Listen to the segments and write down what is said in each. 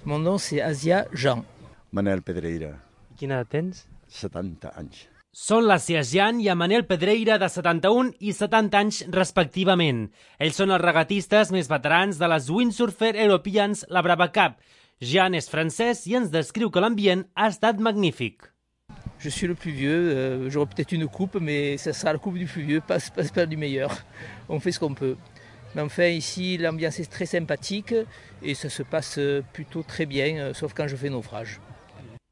Mon nom c'est Asia Jean. Manel Pedreira, Quina edat tens? 70 anys. Són l'Asia Jean i en Manel Pedreira, de 71 i 70 anys respectivament. Ells són els regatistes més veterans de les Windsurfer Europeans, la Brava Cup. Jean és francès i ens descriu que l'ambient ha estat magnífic. Je suis le plus vieux, j'aurai peut-être une coupe, mais ça sera la coupe du plus vieux, pas du meilleur. On fait ce qu'on peut. Mais enfin, ici, l'ambiance est très sympathique et ça se passe plutôt très bien, sauf quand je fais naufrage.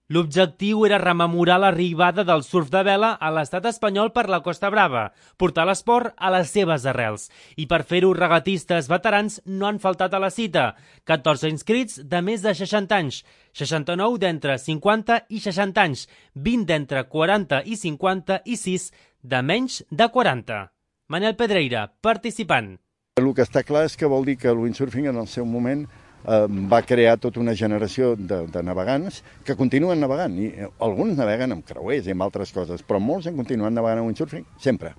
L'objectiu era rememorar l'arribada del surf de vela a l'estat espanyol per la Costa Brava, portar l'esport a les seves arrels. I per fer-ho, regatistes veterans no han faltat a la cita. 14 inscrits de més de 60 anys, 69 d'entre 50 i 60 anys, 20 d'entre 40 i 50 i 6 de menys de 40. Manel Pedreira, participant. El que està clar és que vol dir que el windsurfing en el seu moment va crear tota una generació de navegants que continuen navegant, i alguns naveguen amb creuers i amb altres coses, però molts han continuat navegant amb windsurfing, sempre.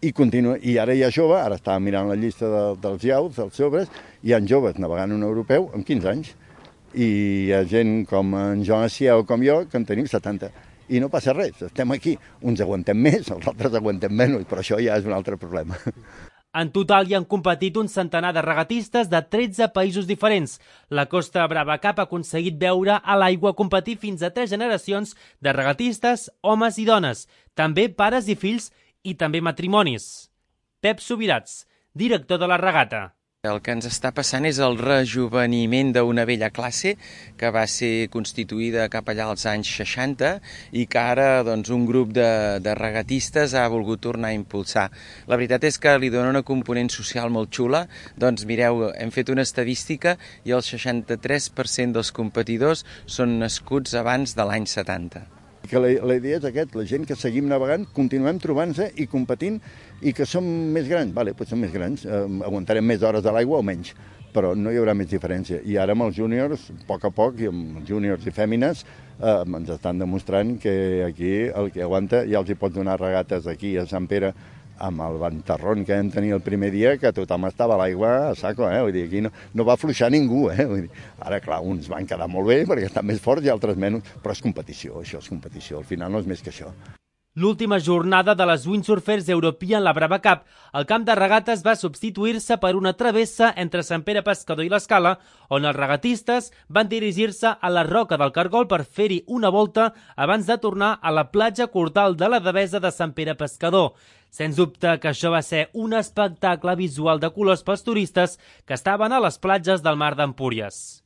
I ara hi ha jove, ara estava mirant la llista dels iauts, dels joves, hi ha joves navegant un europeu amb 15 anys, i hi ha gent com en Joan Acià o com jo, que en tenim 70. I no passa res, estem aquí. Uns aguantem més, els altres aguantem menys, però això ja és un altre problema. En total hi han competit un centenar de regatistes de 13 països diferents. La Costa Brava Cup ha aconseguit veure a l'aigua competir fins a 3 generacions de regatistes, homes i dones, també pares i fills i també matrimonis. Pep Subirats, director de la regata. El que ens està passant és el rejuveniment d'una vella classe que va ser constituïda cap allà als anys 60 i que ara un grup de regatistes ha volgut tornar a impulsar. La veritat és que li dona una component social molt xula. Mireu, hem fet una estadística i el 63% dels competidors són nascuts abans de l'any 70. Que la idea és la gent que seguim navegant, continuem trobant-se i competint, i que som més grans, doncs som més grans, aguantarem més hores a l'aigua o menys, però no hi haurà més diferència. I ara amb els júniors, a poc, i amb els júniors i fèmines, ens estan demostrant que aquí el que aguanta ja els hi pot donar regates aquí a Sant Pere, amb el ventarrón que vam tenir el primer dia, que tothom estava a l'aigua a saco, Vull dir, aquí no va afluixar ningú, Vull dir, ara, clar, uns van quedar molt bé perquè estan més forts i altres menys, però és competició, això és competició, al final no és més que això. L'última jornada de les Windsurfers European, la Brava Cup, el camp de regates va substituir-se per una travessa entre Sant Pere Pescador i l'Escala, on els regatistes van dirigir-se a la Roca del Cargol per fer-hi una volta abans de tornar a la platja Cortal de la Devesa de Sant Pere Pescador. Sens dubte que això va ser un espectacle visual de colors pels turistes que estaven a les platges del mar d'Empúries.